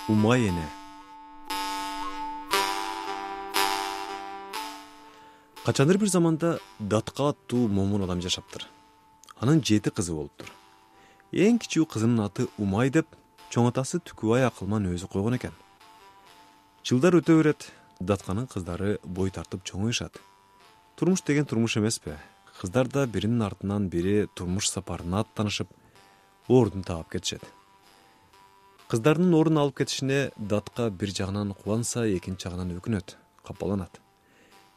Умай эне. Качандыр бир заманда Датка аттуу момун адам жашаптыр. Анын 7 кызы болуптур. Эң кичүү кызынын аты Умай деп чоң атасы Түкүбай акылман өзү койгон экен. Жылдар өтө берет, Датканын кыздары бой тартып чоңоюшат. Турмуш деген турмуш эмеспи? Кыздар да биринин артынан бири турмуш сапарына аттанышып, ордун таап кетишет. Кыздардын ордун алып кетишине Датка бир жагынан кубанса, экинчи жагынан өкүнөт, капаланат.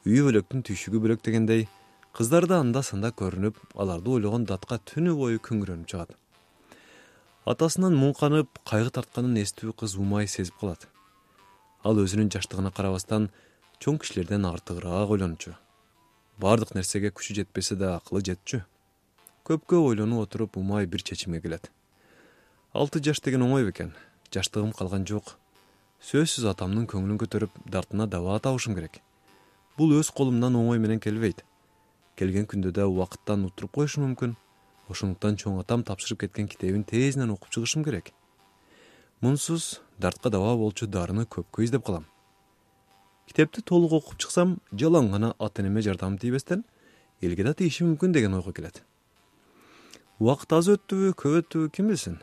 Үй бөлөктүн түйшүгү бөлөк дегендей, кыздар да анда-санда көрүнүп, аларды ойлогон Датка түнү бою күңүрөнүп чыгат. Атасынан муңканып, кайгы тартканын эстүү кыз Умай сезип калат. Ал өзүнүн жаштыгына карабастан, чоң кишилерден артыгыраак ойлончу. Бардык нерсеге күчү жетпесе да акылы жетчү. Көпкө ойлонуп отуруп, Умай бир чечимге келет. 6 жаш деген оңой бекен, жаштыгым калган жок. Сөзсүз атамдын көңүлүн көтөрүп, дартына дабаа табышым керек. Бул өз колумдан оңой менен келбейт. Келген күндө да убакыттан утуруп коюшум мүмкүн. Ошондуктан чоң атам тапшырып кеткен китебин тезинен окуп чыгышым керек. Мунсуз дартка дабаа болчу дарыны көпкө издеп калам. Китепти толук окуп чыксам, жалаң гана ата-энеме жардам тийбестен, элге да тийиши мүмкүн деген ойго келет. Убакыт аз өттүбү, көп өттүбү ким билсин?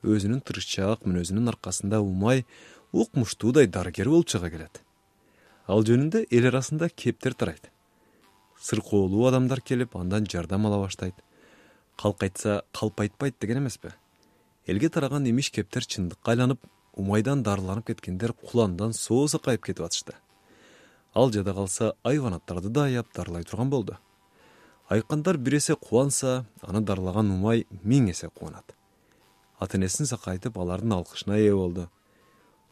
Өзүнүн тырышчаак мүнөзүнүн аркасында Умай укмуштуудай дарыгер болуп чыга келет. Ал жөнүндө эл арасында кептер тарайт. Сыркоолуу адамдар келип, андан жардам ала баштайт. Калк айтпайт деген эмеспи? Элге тараган имиш кептер чындыкка айланып, Умайдан дарыланып кеткендер куландан соо сакайып кетип атышты. Ал жада калса, айванаттарды да аяп дарылай турган болду. Айкандар бир эсе кубанса, аны дарылаган Умай 1000 эсе кубанат. Ата-энесин сакайтып, алардын алкышына ээ болду.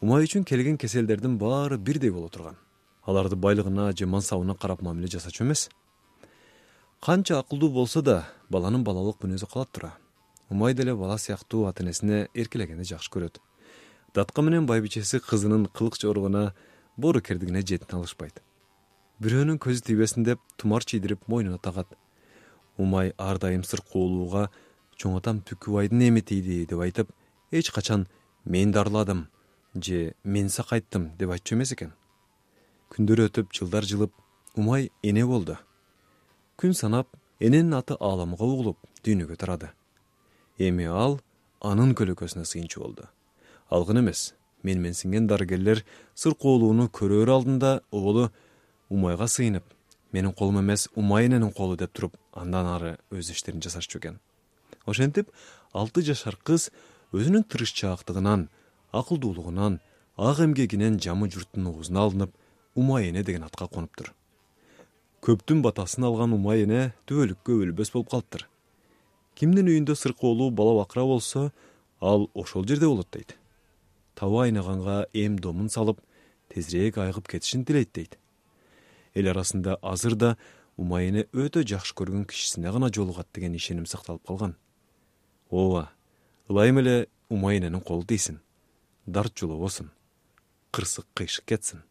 Умай үчүн келген кеселдердин баары бирдей боло турган. Аларды байлыгына же мансабына карап мамиле жасачу эмес. Канча акылдуу болсо да, баланын балалык мүнөзү калат тура. Умай деле бала сыяктуу ата-энесине эркелегенди жакшы көрөт. Датка менен байбичеси кызынын кылык жоругуна, боору кердигине жетине алышпайт. Бирөөнүн көзү тийбесин деп тумар чийдирип мойнуна тагат. Умай ар дайым сыркоолууга чоң атам Түкүбайдын эми тийди деп айтып, эч качан мен дарыладым же мен сакайттым деп айтчу эмес экен. Күндөр өтүп, жылдар жылып, Умай эне болду. Күн санап, эненин аты ааламга угулуп, дүйнөгө тарады. Эми ал анын көлөкөсүнө сыйынчу болду. Алгын эмес, менсинген дарыгерлер сыркоолууну көрөр алдында оголу Умайга сыйынып, менин колум эмес, Умай эненин колу деп туруп, андан ары өз иштерин жасашчу экен. Ошентип, 6 жашар кыз өзүнүн тырышчаактыгынан, акылдуулугунан, ак эмгегинен жамы журттун оозуна алынып, Умай эне деген атка конуптур. Көптүн батасын алган Умай эне түбөлүккө өлбөс болуп калыптыр. Кимдин үйүндө сыркоолуу бала бакыра болсо, ал ошол жерде болот дейт. Табы айнаганга эм домун салып, тезирээк айыгып кетишин тилейт дейт. Эл арасында азыр да Умай эне өтө жакшы көргөн кишисине гана жолугат деген ишеним сакталып калган. Ооба, ылайым эле Умай эненин колу тийсин, дарт жолобосун, кырсык кыйшык кетсин.